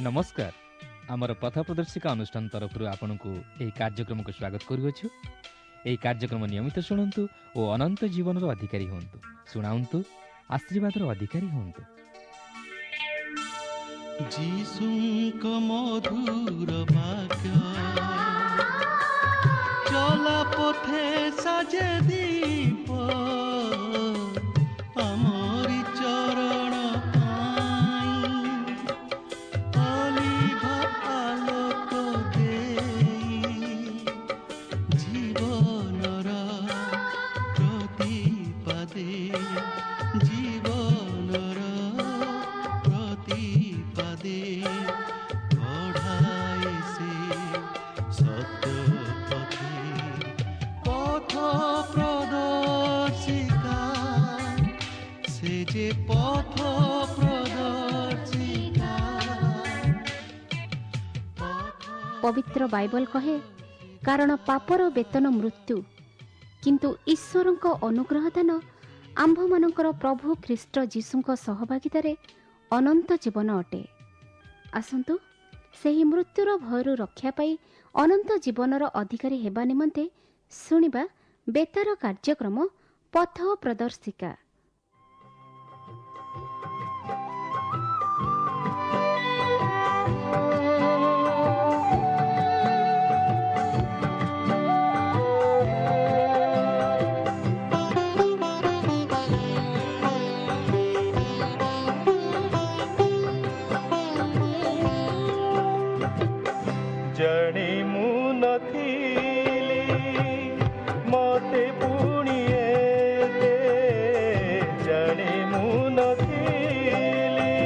ନମସ୍କାର। ଆମର ପଥ ପ୍ରଦର୍ଶିକା ଅନୁଷ୍ଠାନ ତରଫରୁ ଆପଣଙ୍କୁ ଏହି କାର୍ଯ୍ୟକ୍ରମକୁ ସ୍ୱାଗତ କରୁଅଛୁ। ଏହି କାର୍ଯ୍ୟକ୍ରମ ନିୟମିତ ଶୁଣନ୍ତୁ ଓ ଅନନ୍ତ ଜୀବନର ଅଧିକାରୀ ହୁଅନ୍ତୁ। ଶୁଣାନ୍ତୁ, ଆଶୀର୍ବାଦର ଅଧିକାରୀ ହୁଅନ୍ତୁ। ଯୀଶୁଙ୍କ ମଧୁର ବାକ୍ୟ ଚଲା ପଥେ ସାଜେ ଦୀପ, ଆମରି ଚରଣ ପାଇଁ ଅଲିଭ ଆଲୋକ ଦେଇ, ଜୀବନର ପ୍ରତିପାଦେ, ଜୀବନର ପ୍ରତିପାଦେ କଢ଼ାଏ ସେ ସତ୍ୟ ପଥେ। ପଥ ପ୍ରଦର୍ଶିକା, ସେ ଯେ ପଥ ପ୍ରଦର୍ଶିକା। ପବିତ୍ର ବାଇବଲ କହେ, କାରଣ ପାପର ବେତନ ମୃତ୍ୟୁ, କିନ୍ତୁ ଈଶ୍ୱରଙ୍କ ଅନୁଗ୍ରହ ଦାନ ଆମ୍ଭମାନଙ୍କର ପ୍ରଭୁ ଖ୍ରୀଷ୍ଟ ଯୀଶୁଙ୍କ ସହଭାଗିତାରେ ଅନନ୍ତ ଜୀବନ ଅଟେ। ଆସନ୍ତୁ ସେହି ମୃତ୍ୟୁର ଭୟରୁ ରକ୍ଷା ପାଇ ଅନନ୍ତ ଜୀବନର ଅଧିକାରୀ ହେବା ନିମନ୍ତେ ଶୁଣିବା ବେତାର କାର୍ଯ୍ୟକ୍ରମ ପଥ ପ୍ରଦର୍ଶିକା। ଜାଣି ମୁଁ ନଥିଲି ମତେ ପୁଣି ଏତେ, ଜାଣି ମୁଁ ନଥିଲି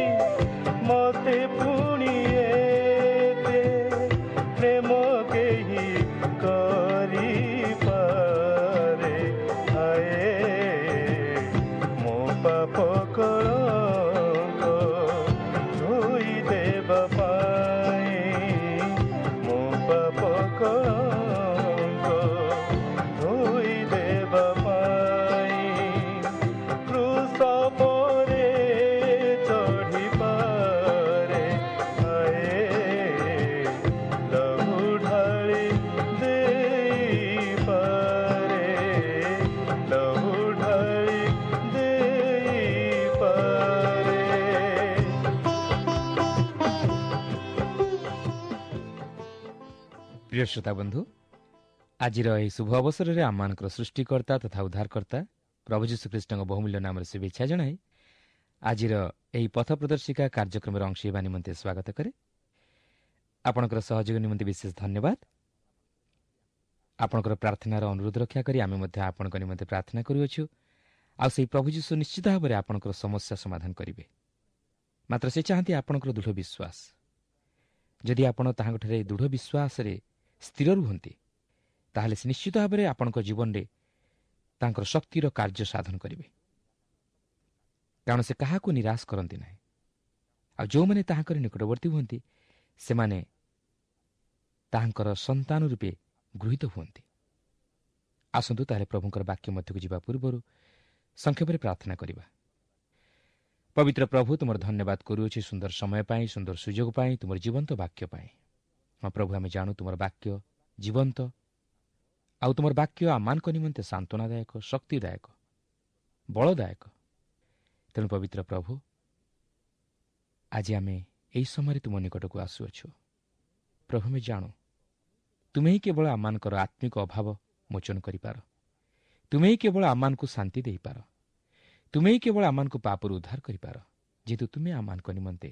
ମତେ ପୁଣି ଏତେ ପ୍ରେମ କେହି କରିପାରେ। ହାଏ, ମୋ ପାପ କଳଙ୍କ ଧୋଇ ଦେବା ପାଇଁ, ମୋ ପାପ କଳଙ୍କ ଧୋଇ ଦେବା ପାଇଁ କ୍ରୁଶ ପରେ ଚଢ଼ିପାରେ। ହାଏ, ଲହୁ ଢାଳି ଦେଇପାରେ, ଲହୁ ଢାଳି ଦେଇପାରେ। ପ୍ରିୟ ଶ୍ରୋତା ବନ୍ଧୁ, ଆଜିର ଏହି ଶୁଭ ଅବସରରେ ଆମମାନଙ୍କର ସୃଷ୍ଟିକର୍ତ୍ତା ତଥା ଉଦ୍ଧାରକର୍ତ୍ତା ପ୍ରଭୁ ଯୀଶୁଖ୍ରୀଷ୍ଟଙ୍କ ବହୁମୂଲ୍ୟ ନାମରେ ଶୁଭେଚ୍ଛା ଜଣାଇ ଆଜିର ଏହି ପଥ ପ୍ରଦର୍ଶିକା କାର୍ଯ୍ୟକ୍ରମରେ ଅଂଶ ହେବା ନିମନ୍ତେ ସ୍ୱାଗତ କରେ। ଆପଣଙ୍କର ସହଯୋଗ ନିମନ୍ତେ ବିଶେଷ ଧନ୍ୟବାଦ। ଆପଣଙ୍କର ପ୍ରାର୍ଥନାର ଅନୁରୋଧ ରକ୍ଷା କରି ଆମେ ମଧ୍ୟ ଆପଣଙ୍କ ନିମନ୍ତେ ପ୍ରାର୍ଥନା କରୁଅଛୁ, ଆଉ ସେହି ପ୍ରଭୁ ଯୀଶୁ ନିଶ୍ଚିତ ଭାବରେ ଆପଣଙ୍କର ସମସ୍ୟା ସମାଧାନ କରିବେ। ମାତ୍ର ସେ ଚାହାନ୍ତି ଆପଣଙ୍କର ଦୃଢ଼ ବିଶ୍ୱାସ। ଯଦି ଆପଣ ତାହାଙ୍କଠାରେ ଦୃଢ଼ ବିଶ୍ୱାସରେ ସ୍ଥିର ରୁହନ୍ତି, ତାହେଲେ ସେ ନିଶ୍ଚିତ ଭାବରେ ଆପଣଙ୍କ ଜୀବନରେ ତାଙ୍କର ଶକ୍ତିର କାର୍ଯ୍ୟ ସାଧନ କରିବେ। କାରଣ ସେ କାହାକୁ ନିରାଶ କରନ୍ତି ନାହିଁ। ଆଉ ଯେଉଁମାନେ ତାହାଙ୍କର ନିକଟବର୍ତ୍ତୀ ହୁଅନ୍ତି, ସେମାନେ ତାହାଙ୍କର ସନ୍ତାନ ରୂପେ ଗୃହୀତ ହୁଅନ୍ତି। ଆସନ୍ତୁ ତାହେଲେ ପ୍ରଭୁଙ୍କର ବାକ୍ୟ ମଧ୍ୟକୁ ଯିବା ପୂର୍ବରୁ ସଂକ୍ଷେପରେ ପ୍ରାର୍ଥନା କରିବା। ପବିତ୍ର ପ୍ରଭୁ, ତୁମର ଧନ୍ୟବାଦ କରୁଅଛି ସୁନ୍ଦର ସମୟ ପାଇଁ, ସୁନ୍ଦର ସୁଯୋଗ ପାଇଁ, ତୁମର ଜୀବନ୍ତ ବାକ୍ୟ ପାଇଁ। ହଁ ପ୍ରଭୁ, ଆମେ ଜାଣୁ ତୁମର ବାକ୍ୟ ଜୀବନ୍ତ, ଆଉ ତୁମର ବାକ୍ୟ ଆମମାନଙ୍କ ନିମନ୍ତେ ସାନ୍ତ୍ୱନାଦାୟକ, ଶକ୍ତିଦାୟକ, ବଳଦାୟକ। ତେଣୁ ପବିତ୍ର ପ୍ରଭୁ, ଆଜି ଆମେ ଏହି ସମୟରେ ତୁମ ନିକଟକୁ ଆସୁଅଛୁ। ପ୍ରଭୁ, ଆମେ ଜାଣୁ ତୁମେ ହିଁ କେବଳ ଆମମାନଙ୍କର ଆତ୍ମିକ ଅଭାବ ମୋଚନ କରିପାର, ତୁମେ ହିଁ କେବଳ ଆମମାନଙ୍କୁ ଶାନ୍ତି ଦେଇପାର, ତୁମେ ହିଁ କେବଳ ଆମମାନଙ୍କୁ ପାପରୁ ଉଦ୍ଧାର କରିପାର, ଯେହେତୁ ତୁମେ ଆମମାନଙ୍କ ନିମନ୍ତେ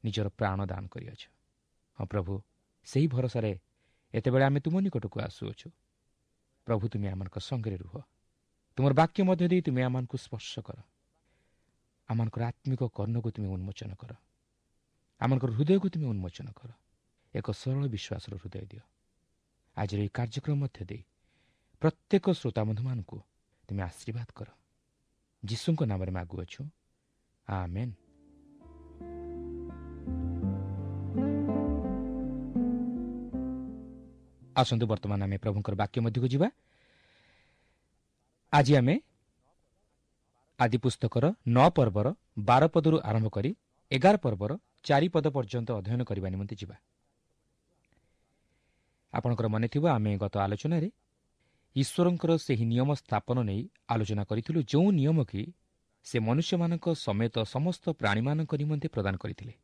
ନିଜର ପ୍ରାଣ ଦାନ କରିଅଛ। ହଁ ପ୍ରଭୁ, ସେହି ଭରସାରେ ଏତେବେଳେ ଆମେ ତୁମ ନିକଟକୁ ଆସୁଅଛୁ। ପ୍ରଭୁ, ତୁମେ ଆମମାନଙ୍କ ସଙ୍ଗରେ ରୁହ, ତୁମର ବାକ୍ୟ ମଧ୍ୟ ଦେଇ ତୁମେ ଆମମାନଙ୍କୁ ସ୍ପର୍ଶ କର, ଆମମାନଙ୍କର ଆତ୍ମିକ କର୍ଣ୍ଣକୁ ତୁମେ ଉନ୍ମୋଚନ କର, ଆମମାନଙ୍କର ହୃଦୟକୁ ତୁମେ ଉନ୍ମୋଚନ କର, ଏକ ସରଳ ବିଶ୍ୱାସର ହୃଦୟ ଦିଅ। ଆଜିର ଏହି କାର୍ଯ୍ୟକ୍ରମ ମଧ୍ୟ ଦେଇ ପ୍ରତ୍ୟେକ ଶ୍ରୋତାବନ୍ଧୁମାନଙ୍କୁ ତୁମେ ଆଶୀର୍ବାଦ କର। ଯୀଶୁଙ୍କ ନାମରେ ମାଗୁଅଛୁ, ଆମେନ୍। ଆସନ୍ତୁ ବର୍ତ୍ତମାନ ଆମେ ପ୍ରଭୁଙ୍କର ବାକ୍ୟ ମଧ୍ୟକୁ ଯିବା। ଆଜି ଆମେ ଆଦି ପୁସ୍ତକର 9 ପର୍ବର 12 ପଦରୁ ଆରମ୍ଭ କରି 11 ପର୍ବର 4 ପଦ ପର୍ଯ୍ୟନ୍ତ ଅଧ୍ୟୟନ କରିବା ନିମନ୍ତେ ଯିବା। ଆପଣଙ୍କର ମନେଥିବ, ଆମେ ଗତ ଆଲୋଚନାରେ ଈଶ୍ୱରଙ୍କର ସେହି ନିୟମ ସ୍ଥାପନ ନେଇ ଆଲୋଚନା କରିଥିଲୁ, ଯେଉଁ ନିୟମ କି ସେ ମନୁଷ୍ୟମାନଙ୍କ ସମେତ ସମସ୍ତ ପ୍ରାଣୀମାନଙ୍କ ନିମନ୍ତେ ପ୍ରଦାନ କରିଥିଲେ।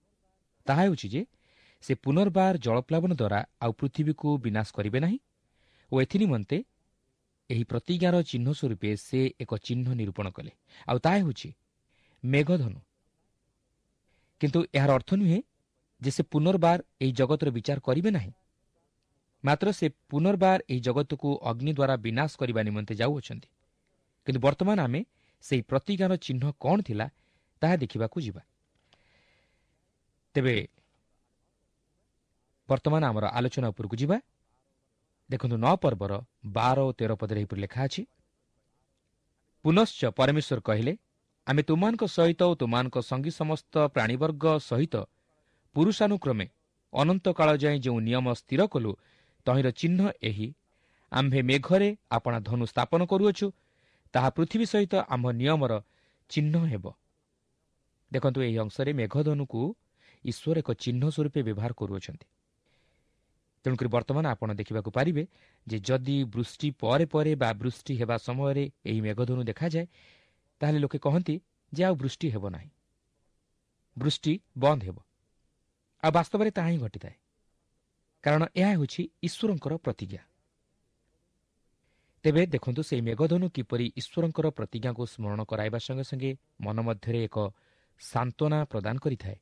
ତାହା ହେଉଛି ଯେ ସେ ପୁନର୍ବାର ଜଳପ୍ଲାବନ ଦ୍ୱାରା ଆଉ ପୃଥିବୀକୁ ବିନାଶ କରିବେ ନାହିଁ ଓ ଏଥିନିମନ୍ତେ ଏହି ପ୍ରତିଜ୍ଞାର ଚିହ୍ନ ସ୍ୱରୂପେ ସେ ଏକ ଚିହ୍ନ ନିରୂପଣ କଲେ, ଆଉ ତାହା ହେଉଛି ମେଘଧନୁ। କିନ୍ତୁ ଏହାର ଅର୍ଥ ନୁହେଁ ଯେ ସେ ପୁନର୍ବାର ଏହି ଜଗତର ବିଚାର କରିବେ ନାହିଁ, ମାତ୍ର ସେ ପୁନର୍ବାର ଏହି ଜଗତକୁ ଅଗ୍ନି ଦ୍ୱାରା ବିନାଶ କରିବା ନିମନ୍ତେ ଯାଉଅଛନ୍ତି। କିନ୍ତୁ ବର୍ତ୍ତମାନ ଆମେ ସେହି ପ୍ରତିଜ୍ଞାର ଚିହ୍ନ କ'ଣ ଥିଲା ତାହା ଦେଖିବାକୁ ଯିବା। ତେବେ ବର୍ତ୍ତମାନ ଆମର ଆଲୋଚନା ଉପରକୁ ଯିବା। ଦେଖନ୍ତୁ 9 ପର୍ବର 12 ଓ 13 ପଦରେ ଏହିପରି ଲେଖା ଅଛି, ପୁନଶ୍ଚ ପରମେଶ୍ୱର କହିଲେ, ଆମେ ତୁମମାନଙ୍କ ସହିତ ଓ ତୁମମାନଙ୍କ ସଙ୍ଗୀ ସମସ୍ତ ପ୍ରାଣୀବର୍ଗ ସହିତ ପୁରୁଷାନୁକ୍ରମେ ଅନନ୍ତକାଳ ଯାଏଁ ଯେଉଁ ନିୟମ ସ୍ଥିର କଲୁ ତହିଁର ଚିହ୍ନ ଏହି, ଆମ୍ଭେ ମେଘରେ ଆପଣା ଧନୁ ସ୍ଥାପନ କରୁଅଛୁ, ତାହା ପୃଥିବୀ ସହିତ ଆମ୍ଭ ନିୟମର ଚିହ୍ନ ହେବ। ଦେଖନ୍ତୁ, ଏହି ଅଂଶରେ ମେଘଧନୁକୁ ଈଶ୍ୱର ଏକ ଚିହ୍ନ ସ୍ୱରୂପେ ବ୍ୟବହାର କରୁଅଛନ୍ତି। ତେଣୁକରି ବର୍ତ୍ତମାନ ଆପଣ ଦେଖିବାକୁ ପାରିବେ ଯେ ଯଦି ବୃଷ୍ଟି ପରେ ପରେ ବା ବୃଷ୍ଟି ହେବା ସମୟରେ ଏହି ମେଘଧନୁ ଦେଖାଯାଏ, ତାହେଲେ ଲୋକେ କହନ୍ତି ଯେ ଆଉ ବୃଷ୍ଟି ହେବ ନାହିଁ, ବୃଷ୍ଟି ବନ୍ଦ ହେବ। ଆଉ ବାସ୍ତବରେ ତାହା ହିଁ ଘଟିଥାଏ, କାରଣ ଏହା ହେଉଛି ଈଶ୍ୱରଙ୍କର ପ୍ରତିଜ୍ଞା। ତେବେ ଦେଖନ୍ତୁ, ସେହି ମେଘଧନୁ କିପରି ଈଶ୍ୱରଙ୍କର ପ୍ରତିଜ୍ଞାକୁ ସ୍ମରଣ କରାଇବା ସଙ୍ଗେ ସଙ୍ଗେ ମନ ମଧ୍ୟରେ ଏକ ସାନ୍ତ୍ୱନା ପ୍ରଦାନ କରିଥାଏ।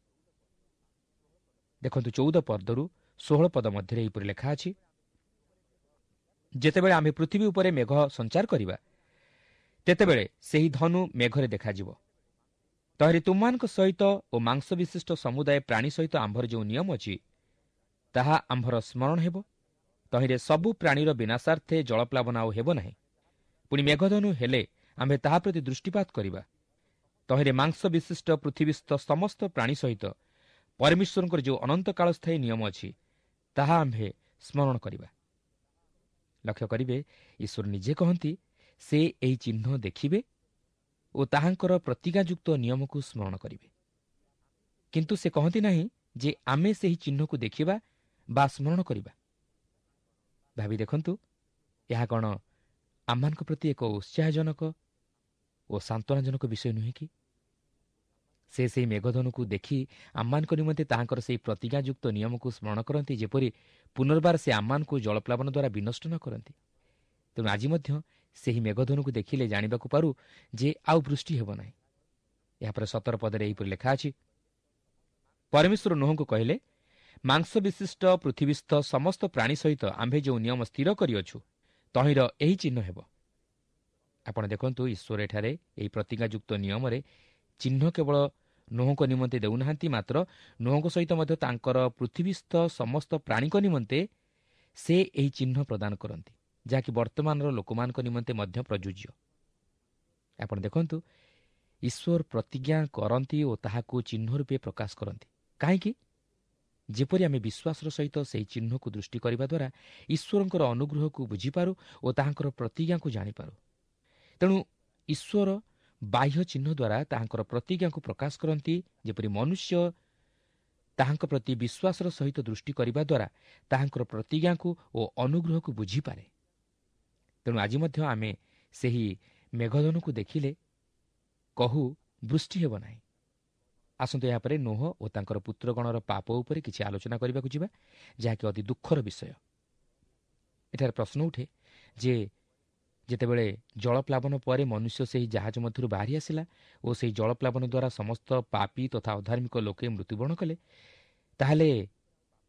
ଦେଖନ୍ତୁ 14 ପଦରୁ 16 ପଦ ମଧ୍ୟରେ ଏହିପରି ଲେଖା ଅଛି, ଯେତେବେଳେ ଆମେ ପୃଥିବୀ ଉପରେ ମେଘ ସଞ୍ଚାର କରିବା, ତେତେବେଳେ ସେହି ଧନୁ ମେଘରେ ଦେଖାଯିବ। ତହିଁରେ ତୁମମାନଙ୍କ ସହିତ ଓ ମାଂସ ବିଶିଷ୍ଟ ସମୁଦାୟ ପ୍ରାଣୀ ସହିତ ଆମ୍ଭର ଯେଉଁ ନିୟମ ଅଛି, ତାହା ଆମ୍ଭର ସ୍ମରଣ ହେବ। ତହିଁରେ ସବୁ ପ୍ରାଣୀର ବିନାଶାର୍ଥେ ଜଳପ୍ଲାବନ ଆଉ ହେବ ନାହିଁ। ପୁଣି ମେଘଧନୁ ହେଲେ ଆମ୍ଭେ ତାହା ପ୍ରତି ଦୃଷ୍ଟିପାତ କରିବା। ତହିଁରେ ମାଂସ ବିଶିଷ୍ଟ ପୃଥିବୀସ୍ଥ ସମସ୍ତ ପ୍ରାଣୀ ସହିତ ପରମେଶ୍ୱରଙ୍କର ଯେଉଁ ଅନନ୍ତକାଳସ୍ଥାୟୀ ନିୟମ ଅଛି, ତାହା ଆମ୍ଭେ ସ୍ମରଣ କରିବା। ଲକ୍ଷ୍ୟ କରିବେ, ଈଶ୍ୱର ନିଜେ କହନ୍ତି ସେ ଏହି ଚିହ୍ନ ଦେଖିବେ ଓ ତାହାଙ୍କର ପ୍ରତିଜ୍ଞାଯୁକ୍ତ ନିୟମକୁ ସ୍ମରଣ କରିବେ। କିନ୍ତୁ ସେ କହନ୍ତି ନାହିଁ ଯେ ଆମେ ସେହି ଚିହ୍ନକୁ ଦେଖିବା ବା ସ୍ମରଣ କରିବା। ଭାବି ଦେଖନ୍ତୁ, ଏହା କ'ଣ ଆମମାନଙ୍କ ପ୍ରତି ଏକ ଉତ୍ସାହଜନକ ଓ ସାନ୍ତ୍ୱନାଜନକ ବିଷୟ ନୁହେଁ କି? ସେ ସେହି ମେଘଧନୁକୁ ଦେଖି ଆମମାନଙ୍କ ନିମନ୍ତେ ତାହାଙ୍କର ସେହି ପ୍ରତିଜ୍ଞାଯୁକ୍ତ ନିୟମକୁ ସ୍ମରଣ କରନ୍ତି, ଯେପରି ପୁନର୍ବାର ସେ ଆମମାନଙ୍କୁ ଜଳପ୍ଲାବନ ଦ୍ୱାରା ବିନଷ୍ଟ ନ କରନ୍ତି। ତେଣୁ ଆଜି ମଧ୍ୟ ସେହି ମେଘଧନୁକୁ ଦେଖିଲେ ଜାଣିବାକୁ ପାରୁ ଯେ ଆଉ ବୃଷ୍ଟି ହେବ ନାହିଁ। ଏହାପରେ 17 ପଦରେ ଏହିପରି ଲେଖା ଅଛି, ପରମେଶ୍ୱର ନୋହଙ୍କୁ କହିଲେ, ମାଂସ ବିଶିଷ୍ଟ ପୃଥିବୀସ୍ଥ ସମସ୍ତ ପ୍ରାଣୀ ସହିତ ଆମ୍ଭେ ଯେଉଁ ନିୟମ ସ୍ଥିର କରିଅଛୁ, ତହିଁର ଏହି ଚିହ୍ନ ହେବ। ଆପଣ ଦେଖନ୍ତୁ, ଈଶ୍ୱର ଏଠାରେ ଏହି ପ୍ରତିଜ୍ଞାଯୁକ୍ତ ନିୟମରେ ଚିହ୍ନ କେବଳ ନୋହଙ୍କ ନିମନ୍ତେ ଦେଉନାହାନ୍ତି, ମାତ୍ର ନୋହଙ୍କ ସହିତ ମଧ୍ୟ ତାଙ୍କର ପୃଥିବୀସ୍ଥ ସମସ୍ତ ପ୍ରାଣୀଙ୍କ ନିମନ୍ତେ ସେ ଏହି ଚିହ୍ନ ପ୍ରଦାନ କରନ୍ତି, ଯାହାକି ବର୍ତ୍ତମାନର ଲୋକମାନଙ୍କ ନିମନ୍ତେ ମଧ୍ୟ ପ୍ରଯୁଜ୍ୟ। ଆପଣ ଦେଖନ୍ତୁ, ଈଶ୍ୱର ପ୍ରତିଜ୍ଞା କରନ୍ତି ଓ ତାହାକୁ ଚିହ୍ନ ରୂପେ ପ୍ରକାଶ କରନ୍ତି। କାହିଁକି? ଯେପରି ଆମେ ବିଶ୍ୱାସର ସହିତ ସେହି ଚିହ୍ନକୁ ଦୃଷ୍ଟି କରିବା ଦ୍ୱାରା ଈଶ୍ୱରଙ୍କର ଅନୁଗ୍ରହକୁ ବୁଝିପାରୁ ଓ ତାହାଙ୍କର ପ୍ରତିଜ୍ଞାକୁ ଜାଣିପାରୁ। ତେଣୁ ଈଶ୍ୱର ବାହ୍ୟ ଚିହ୍ନ ଦ୍ୱାରା ତାହାଙ୍କର ପ୍ରତିଜ୍ଞାକୁ ପ୍ରକାଶ କରନ୍ତି, ଯେପରି ମନୁଷ୍ୟ ତାହାଙ୍କ ପ୍ରତି ବିଶ୍ୱାସର ସହିତ ଦୃଷ୍ଟି କରିବା ଦ୍ୱାରା ତାହାଙ୍କର ପ୍ରତିଜ୍ଞାକୁ ଓ ଅନୁଗ୍ରହକୁ ବୁଝିପାରେ। ତେଣୁ ଆଜି ମଧ୍ୟ ଆମେ ସେହି ମେଘଧନୁକୁ ଦେଖିଲେ କହୁ ବୃଷ୍ଟି ହେବ ନାହିଁ। ଆସନ୍ତୁ ଏହାପରେ ନୋହ ଓ ତାଙ୍କର ପୁତ୍ରଗଣର ପାପ ଉପରେ କିଛି ଆଲୋଚନା କରିବାକୁ ଯିବା, ଯାହାକି ଅତି ଦୁଃଖର ବିଷୟ। ଏଠାରେ ପ୍ରଶ୍ନ ଉଠେ ଯେ ଯେତେବେଳେ ଜଳପ୍ଲାବନ ପରେ ମନୁଷ୍ୟ ସେହି ଜାହାଜ ମଧ୍ୟରୁ ବାହାରି ଆସିଲା ଓ ସେହି ଜଳପ୍ଲାବନ ଦ୍ୱାରା ସମସ୍ତ ପାପୀ ତଥା ଅଧାର୍ମିକ ଲୋକେ ମୃତ୍ୟୁବରଣ କଲେ, ତାହେଲେ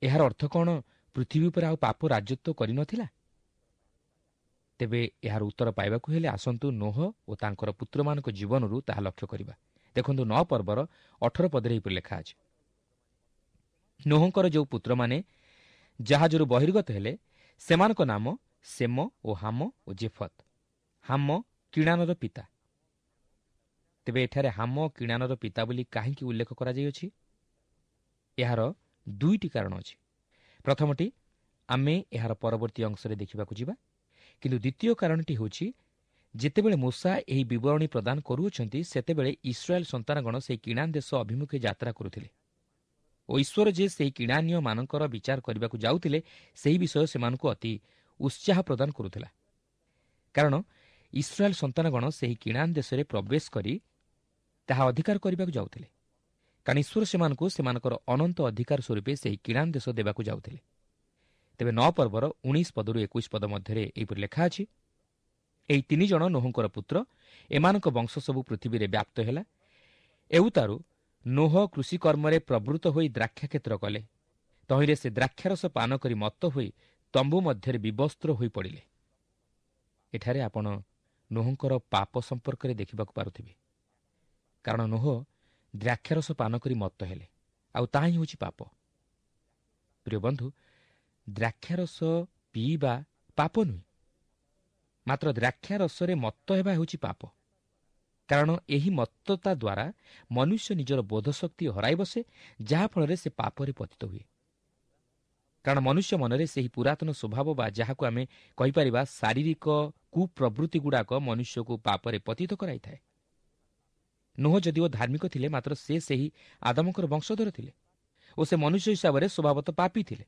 ଏହାର ଅର୍ଥ କ'ଣ ପୃଥିବୀ ଉପରେ ଆଉ ପାପ ରାଜତ୍ୱ କରିନଥିଲା? ତେବେ ଏହାର ଉତ୍ତର ପାଇବାକୁ ହେଲେ ଆସନ୍ତୁ ନୋହ ଓ ତାଙ୍କର ପୁତ୍ରମାନଙ୍କ ଜୀବନରୁ ତାହା ଲକ୍ଷ୍ୟ କରିବା। ଦେଖନ୍ତୁ 9 ପର୍ବର 18 ପଦରେ ଏହିପରି ଲେଖା ଅଛି, ନୋହଙ୍କର ଯେଉଁ ପୁତ୍ରମାନେ ଜାହାଜରୁ ବହିର୍ଗତ ହେଲେ, ସେମାନଙ୍କ ନାମ ସେମ ଓ ହାମ ଓ ଜେଫତ। ହାମ କିଣାନର ପିତା। ତେବେ ଏଠାରେ ହାମ କିଣାନର ପିତା ବୋଲି କାହିଁକି ଉଲ୍ଲେଖ କରାଯାଇଅଛି? ଏହାର ଦୁଇଟି କାରଣ ଅଛି। ପ୍ରଥମଟି ଆମେ ଏହାର ପରବର୍ତ୍ତୀ ଅଂଶରେ ଦେଖିବାକୁ ଯିବା, କିନ୍ତୁ ଦ୍ୱିତୀୟ କାରଣଟି ହେଉଛି ଯେତେବେଳେ ମୋଶା ଏହି ବିବରଣୀ ପ୍ରଦାନ କରୁଅଛନ୍ତି, ସେତେବେଳେ ଇସ୍ରାଏଲ ସନ୍ତାନଗଣ ସେହି କିଣାନ ଦେଶ ଅଭିମୁଖେ ଯାତ୍ରା କରୁଥିଲେ। ଓ ଈଶ୍ୱର ଯେ ସେହି କିଣାନୀୟମାନଙ୍କର ବିଚାର କରିବାକୁ ଯାଉଥିଲେ ସେହି ବିଷୟ ସେମାନଙ୍କୁ ଅତି ଉତ୍ସାହ ପ୍ରଦାନ କରୁଥିଲା। କାରଣ ଇସ୍ରାଏଲ ସନ୍ତାନଗଣ ସେହି କିଣାନ ଦେଶରେ ପ୍ରବେଶ କରି ତାହା ଅଧିକାର କରିବାକୁ ଯାଉଥିଲେ। କାରଣ ଈଶ୍ୱର ସେମାନଙ୍କୁ ସେମାନଙ୍କର ଅନନ୍ତ ଅଧିକାର ସ୍ୱରୂପେ ସେହି କିଣାନ ଦେଶ ଦେବାକୁ ଯାଉଥିଲେ। ତେବେ 9 ପର୍ବର 19 ପଦରୁ 21 ପଦ ମଧ୍ୟରେ ଏହିପରି ଲେଖା ଅଛି, ଏହି 3 ଜଣ ନୋହଙ୍କର ପୁତ୍ର, ଏମାନଙ୍କ ବଂଶ ସବୁ ପୃଥିବୀରେ ବ୍ୟାପ୍ତ ହେଲା। ଏଉତାରୁ ନୋହ କୃଷିକର୍ମରେ ପ୍ରବୃତ୍ତ ହୋଇ ଦ୍ରାକ୍ଷାକ୍ଷେତ୍ର କଲେ। ତହିଁରେ ସେ ଦ୍ରାକ୍ଷାରସ ପାନ କରି ମତ୍ତ ହୋଇ ତମ୍ବୁ ମଧ୍ୟରେ ବିବସ୍ତ୍ର ହୋଇପଡ଼ିଲେ। ଏଠାରେ ଆପଣ ନୋହଙ୍କର ପାପ ସମ୍ପର୍କରେ ଦେଖିବାକୁ ପାରୁଥିବେ। କାରଣ ନୋହ ଦ୍ରାକ୍ଷାରସ ପାନ କରି ମତ୍ତ ହେଲେ, ଆଉ ତାହା ହିଁ ହେଉଛି ପାପ। ପ୍ରିୟ ବନ୍ଧୁ, ଦ୍ରାକ୍ଷାରସ ପିଇବା ପାପ ନୁହେଁ, ମାତ୍ର ଦ୍ରାକ୍ଷାରସରେ ମତ୍ତ ହେବା ହେଉଛି ପାପ। କାରଣ ଏହି ମତ୍ତତା ଦ୍ୱାରା ମନୁଷ୍ୟ ନିଜର ବୋଧଶକ୍ତି ହରାଇ ବସେ, ଯାହାଫଳରେ ସେ ପାପରେ ପତିତ ହୁଏ। କାରଣ ମନୁଷ୍ୟ ମନରେ ସେହି ପୁରାତନ ସ୍ୱଭାବ ବା ଯାହାକୁ ଆମେ କହିପାରିବା ଶାରୀରିକ କୁପ୍ରବୃତ୍ତିଗୁଡ଼ାକ ମନୁଷ୍ୟକୁ ପାପରେ ପତିତ କରାଇଥାଏ। ନୋହ ଯଦିଓ ଧାର୍ମିକ ଥିଲେ, ମାତ୍ର ସେ ସେହି ଆଦମଙ୍କର ବଂଶଧର ଥିଲେ ଓ ସେ ମନୁଷ୍ୟ ହିସାବରେ ସ୍ୱଭାବତଃ ପାପୀ ଥିଲେ।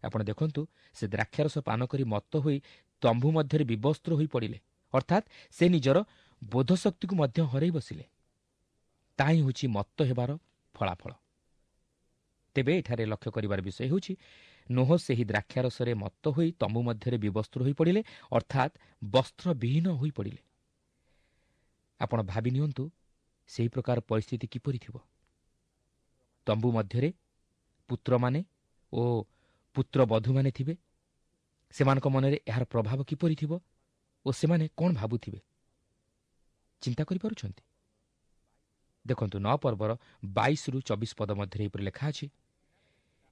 ଆପଣ ଦେଖନ୍ତୁ, ସେ ଦ୍ରାକ୍ଷାରସ ପାନ କରି ମତ୍ତ ହୋଇ ତମ୍ବୁ ମଧ୍ୟରେ ବିବସ୍ତ୍ର ହୋଇ ପଡ଼ିଲେ, ଅର୍ଥାତ୍ ସେ ନିଜର ବୋଧଶକ୍ତିକୁ ମଧ୍ୟ ହରାଇ ବସିଲେ। ତାହା ହିଁ ହେଉଛି ମତ୍ତ ହେବାର ଫଳାଫଳ। ତେବେ ଏଠାରେ ଲକ୍ଷ୍ୟ କରିବାର ବିଷୟ ହେଉଛି, ନୋହ ସେହି ଦ୍ରାକ୍ଷାରସରେ ମତ୍ତ ହୋଇ ତମ୍ବୁ ମଧ୍ୟରେ ବିବସ୍ତ୍ର ହୋଇପଡ଼ିଲେ, ଅର୍ଥାତ୍ ବସ୍ତ୍ରବିହୀନ ହୋଇପଡ଼ିଲେ। ଆପଣ ଭାବି ନିଅନ୍ତୁ ସେହି ପ୍ରକାର ପରିସ୍ଥିତି କିପରି ଥିବ। ତମ୍ବୁ ମଧ୍ୟରେ ପୁତ୍ରମାନେ ଓ ପୁତ୍ରବଧୂମାନେ ଥିବେ। ସେମାନଙ୍କ ମନରେ ଏହାର ପ୍ରଭାବ କିପରି ଥିବ ଓ ସେମାନେ କ'ଣ ଭାବୁଥିବେ ଚିନ୍ତା କରିପାରୁଛନ୍ତି? ଦେଖନ୍ତୁ, 9 ପର୍ବର 22ରୁ 24 ପଦ ମଧ୍ୟରେ ଏହିପରି ଲେଖା ଅଛି,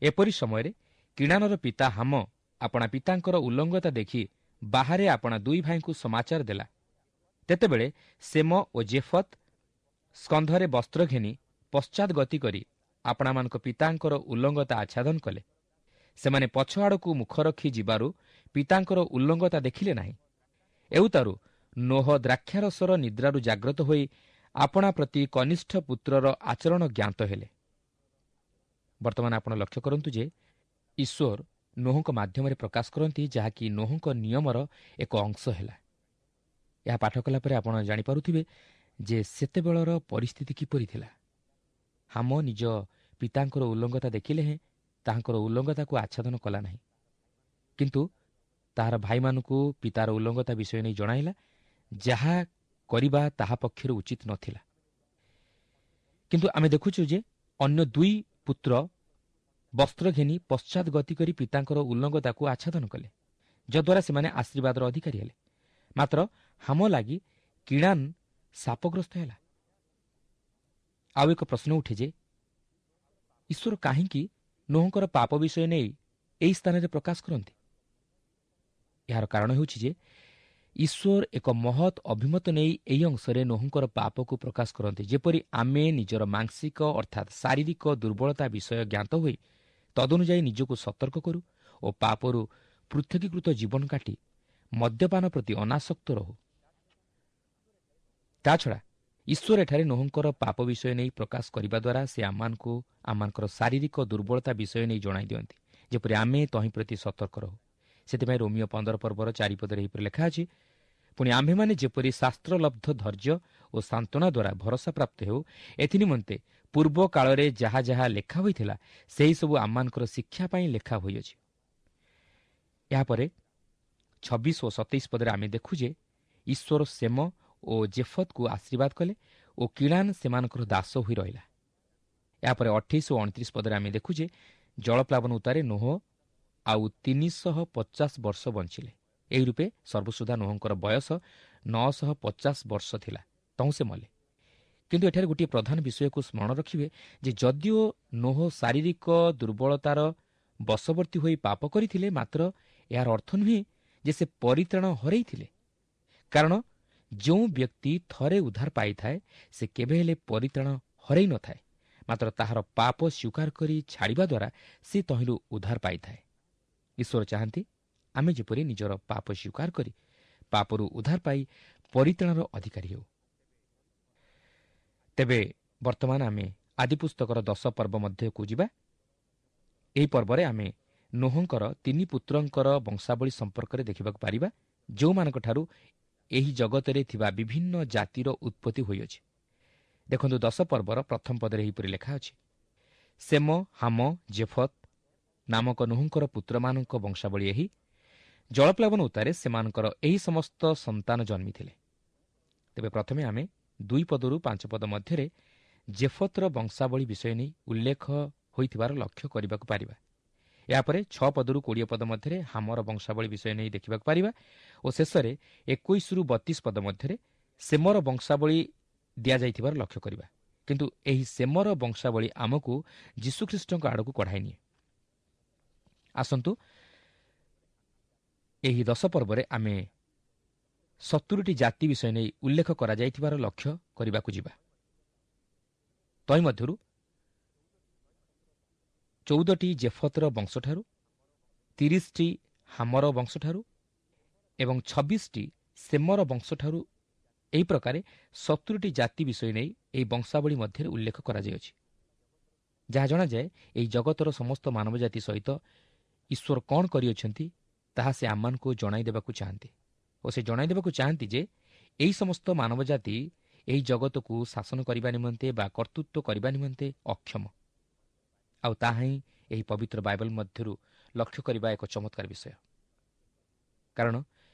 ଏପରି ସମୟରେ କିଣାନର ପିତା ହାମ ଆପଣା ପିତାଙ୍କର ଉଲ୍ଲଙ୍ଗତା ଦେଖି ବାହାରେ ଆପଣା 2 ଭାଇଙ୍କୁ ସମାଚାର ଦେଲା। ତେତେବେଳେ ସେମ ଓ ଜେଫତ୍ ସ୍କନ୍ଧରେ ବସ୍ତ୍ର ଘେନି ପଶ୍ଚାତ୍ ଗତି କରି ଆପଣାମାନଙ୍କ ପିତାଙ୍କର ଉଲ୍ଲଙ୍ଗତା ଆଚ୍ଛାଦନ କଲେ। ସେମାନେ ପଛ ଆଡ଼କୁ ମୁଖ ରଖି ଯିବାରୁ ପିତାଙ୍କର ଉଲ୍ଲଙ୍ଗତା ଦେଖିଲେ ନାହିଁ। ଏଉତାରୁ ନୋହ ଦ୍ରାକ୍ଷାରସର ନିଦ୍ରାରୁ ଜାଗ୍ରତ ହୋଇ ଆପଣା ପ୍ରତି କନିଷ୍ଠ ପୁତ୍ରର ଆଚରଣ ଜ୍ଞାତ ହେଲେ। ବର୍ତ୍ତମାନ ଆପଣ ଲକ୍ଷ୍ୟ କରନ୍ତୁ ଯେ ଈଶ୍ୱର ନୋହଙ୍କ ମାଧ୍ୟମରେ ପ୍ରକାଶ କରନ୍ତି, ଯାହାକି ନୋହଙ୍କ ନିୟମର ଏକ ଅଂଶ ହେଲା। ଏହା ପାଠ କଲା ପରେ ଆପଣ ଜାଣିପାରୁଥିବେ ଯେ ସେତେବେଳର ପରିସ୍ଥିତି କିପରି ଥିଲା। ହାମ ନିଜ ପିତାଙ୍କର ଉଲ୍ଲଙ୍ଗତା ଦେଖିଲେ ହେଁ ତାହାଙ୍କର ଉଲ୍ଲଙ୍ଗତାକୁ ଆଚ୍ଛାଦନ କଲା ନାହିଁ, କିନ୍ତୁ ତାହାର ଭାଇମାନଙ୍କୁ ପିତାର ଉଲ୍ଲଙ୍ଗତା ବିଷୟ ନେଇ ଜଣାଇଲା, ଯାହା କରିବା ତାହା ପକ୍ଷରୁ ଉଚିତ ନଥିଲା। କିନ୍ତୁ ଆମେ ଦେଖୁଛୁ ଯେ ଅନ୍ୟ 2 ପୁତ୍ର ବସ୍ତ୍ର ଘେନି ପଶ୍ଚାତ୍ ଗତି କରି ପିତାଙ୍କର ଉଲ୍ଲଙ୍ଗତାକୁ ଆଚ୍ଛାଦନ କଲେ, ଯଦ୍ୱାରା ସେମାନେ ଆଶୀର୍ବାଦର ଅଧିକାରୀ ହେଲେ। ମାତ୍ର ହାମ ଲାଗି କିଣାନ ଶାପଗ୍ରସ୍ତ ହେଲା। ଆଉ ଏକ ପ୍ରଶ୍ନ ଉଠେ ଯେ ଈଶ୍ୱର କାହିଁକି ନୋହଙ୍କର ପାପ ବିଷୟ ନେଇ ଏହି ସ୍ଥାନରେ ପ୍ରକାଶ କରନ୍ତି? ଏହାର କାରଣ ହେଉଛି ଯେ ଈଶ୍ୱର ଏକ ମହତ୍ ଅଭିମତ ନେଇ ଏହି ଅଂଶରେ ନୋହଙ୍କର ପାପକୁ ପ୍ରକାଶ କରନ୍ତି, ଯେପରି ଆମେ ନିଜର ମାଂସିକ ଅର୍ଥାତ୍ ଶାରୀରିକ ଦୁର୍ବଳତା ବିଷୟ ଜ୍ଞାତ ହୋଇ ତଦନୁଯାୟୀ ନିଜକୁ ସତର୍କ କରୁ ଓ ପାପରୁ ପୃଥକୀକୃତ ଜୀବନ କାଟି ମଦ୍ୟପାନ ପ୍ରତି ଅନାସକ୍ତ ରହୁ। ତାଛଡ଼ା ଈଶ୍ୱର ଏଠାରେ ନୋହଙ୍କର ପାପ ବିଷୟ ନେଇ ପ୍ରକାଶ କରିବା ଦ୍ୱାରା ସେ ଆମମାନଙ୍କୁ ଆମମାନଙ୍କର ଶାରୀରିକ ଦୁର୍ବଳତା ବିଷୟ ନେଇ ଜଣାଇ ଦିଅନ୍ତି, ଯେପରି ଆମେ ତହିଁ ପ୍ରତି ସତର୍କ ରହୁ। ସେଥିପାଇଁ ରୋମିଓ 15 ପର୍ବର 4 ପଦରେ ଏହିପରି ଲେଖା ଅଛି, ପୁଣି ଆମ୍ଭେମାନେ ଯେପରି ଶାସ୍ତ୍ରଲବ୍ଧ ଧୈର୍ଯ୍ୟ ଓ ସାନ୍ତ୍ୱନା ଦ୍ୱାରା ଭରସା ପ୍ରାପ୍ତ ହେଉ, ଏଥିନିମନ୍ତେ ପୂର୍ବ କାଳରେ ଯାହା ଯାହା ଲେଖା ହୋଇଥିଲା ସେହିସବୁ ଆମମାନଙ୍କର ଶିକ୍ଷା ପାଇଁ ଲେଖା ହୋଇଅଛି। ଏହାପରେ 26 ଓ 27 ପଦରେ ଆମେ ଦେଖୁ ଯେ ଈଶ୍ୱର ସେମ ଓ ଜେଫତକୁ ଆଶୀର୍ବାଦ କଲେ ଓ କିଣାନ ସେମାନଙ୍କର ଦାସ ହୋଇ ରହିଲା। ଏହାପରେ 28 ଓ 29 ପଦରେ ଆମେ ଦେଖୁ ଯେ ଜଳପ୍ଲାବନ ଉତ୍ତାରେ ନୋହ ଆଉ 350 ବର୍ଷ ବଞ୍ଚିଲେ। ଏହି ରୂପେ ସର୍ବସୁଦ୍ଧା ନୋହଙ୍କର ବୟସ 950 ବର୍ଷ ଥିଲା, ତହୁଁ ସେ ମଲେ। କିନ୍ତୁ ଏଠାରେ ଗୋଟିଏ ପ୍ରଧାନ ବିଷୟକୁ ସ୍ମରଣ ରଖିବେ ଯେ ଯଦିଓ ନୋହ ଶାରୀରିକ ଦୁର୍ବଳତାର ବଶବର୍ତ୍ତୀ ହୋଇ ପାପ କରିଥିଲେ, ମାତ୍ର ଏହାର ଅର୍ଥ ନୁହେଁ ଯେ ସେ ପରିତ୍ରାଣ ହରାଇଥିଲେ। କାରଣ ଯେଉଁ ବ୍ୟକ୍ତି ଥରେ ଉଦ୍ଧାର ପାଇଥାଏ ସେ କେବେ ହେଲେ ପରିତ୍ରାଣ ହରାଇ ନଥାଏ, ମାତ୍ର ତାହାର ପାପ ସ୍ୱୀକାର କରି ଛାଡ଼ିବା ଦ୍ୱାରା ସେ ତହିଁରୁ ଉଦ୍ଧାର ପାଇଥାଏ। ଈଶ୍ୱର ଚାହାନ୍ତି ଆମେ ଯେପରି ନିଜର ପାପ ସ୍ୱୀକାର କରି ପାପରୁ ଉଦ୍ଧାର ପାଇ ପରିତ୍ରାଣର ଅଧିକାରୀ ହେଉ। ତେବେ ବର୍ତ୍ତମାନ ଆମେ ଆଦିପୁସ୍ତକର 10 ପର୍ବ ମଧ୍ୟକୁ ଯିବା। ଏହି ପର୍ବରେ ଆମେ ନୋହଙ୍କର 3 ପୁତ୍ରଙ୍କର ବଂଶାବଳୀ ସମ୍ପର୍କରେ ଦେଖିବାକୁ ପାରିବା, ଯେଉଁମାନଙ୍କଠାରୁ ଏହି ଜଗତରେ ଥିବା ବିଭିନ୍ନ ଜାତିର ଉତ୍ପତ୍ତି ହୋଇଅଛି। ଦେଖନ୍ତୁ 10 ପର୍ବର ପ୍ରଥମ ପଦରେ ଏହିପରି ଲେଖା ଅଛି, ସେମ, ହାମ, ଜେଫତ ନାମକ ନୋହଙ୍କର ପୁତ୍ରମାନଙ୍କ ବଂଶାବଳୀ ଏହି। ଜଳପ୍ଲାବନ ଉତ୍ତାରେ ସେମାନଙ୍କର ଏହି ସମସ୍ତ ସନ୍ତାନ ଜନ୍ମିଥିଲେ। ତେବେ ପ୍ରଥମେ ଆମେ 2 ପଦରୁ 5 ପଦ ମଧ୍ୟରେ ଜେଫତର ବଂଶାବଳୀ ବିଷୟ ନେଇ ଉଲ୍ଲେଖ ହୋଇଥିବାର ଲକ୍ଷ୍ୟ କରିବାକୁ ପାରିବା। ଏହାପରେ 6 ପଦରୁ 20 ପଦ ମଧ୍ୟରେ ହାମର ବଂଶାବଳୀ ବିଷୟ ନେଇ ଦେଖିବାକୁ ପାରିବା ଓ ଶେଷରେ 21ରୁ 32 ପଦ ମଧ୍ୟରେ ସେମର ବଂଶାବଳୀ ଦିଆଯାଇଥିବାର ଲକ୍ଷ୍ୟ କରିବା। କିନ୍ତୁ ଏହି ସେମର ବଂଶାବଳୀ ଆମକୁ ଯୀଶୁଖ୍ରୀଷ୍ଟଙ୍କ ଆଡ଼କୁ କଢ଼ାଇ ନିଏ। ଆସନ୍ତୁ ଏହି 10 ପର୍ବରେ ଆମେ 70ଟି ଜାତି ବିଷୟ ନେଇ ଉଲ୍ଲେଖ କରାଯାଇଥିବାର ଲକ୍ଷ୍ୟ କରିବାକୁ ଯିବା। ତନ୍ମଧ୍ୟରୁ 14ଟି ଜେଫତର ବଂଶଠାରୁ, 30ଟି ହାମର ବଂଶଠାରୁ ଏବଂ 26ଟି ସେମର ବଂଶଠାରୁ, ଏହି ପ୍ରକାରେ 70ଟି ଜାତି ବିଷୟ ନେଇ ଏହି ବଂଶାବଳୀ ମଧ୍ୟରେ ଉଲ୍ଲେଖ କରାଯାଇଅଛି। ଯାହା ଜଣାଯାଏ ଏହି ଜଗତର ସମସ୍ତ ମାନବ ଜାତି ସହିତ ଈଶ୍ୱର କ'ଣ କରିଅଛନ୍ତି ତାହା ସେ ଆମମାନଙ୍କୁ ଜଣାଇ ଦେବାକୁ ଚାହାନ୍ତି ଓ ସେ ଜଣାଇ ଦେବାକୁ ଚାହାନ୍ତି ଯେ ଏହି ସମସ୍ତ ମାନବ ଜାତି ଏହି ଜଗତକୁ ଶାସନ କରିବା ନିମନ୍ତେ ବା କର୍ତ୍ତୃତ୍ୱ କରିବା ନିମନ୍ତେ ଅକ୍ଷମ। ଆଉ ତାହା ହିଁ ଏହି ପବିତ୍ର ବାଇବଲ ମଧ୍ୟରୁ ଲକ୍ଷ୍ୟ କରିବା ଏକ ଚମତ୍କାର ବିଷୟ। କାରଣ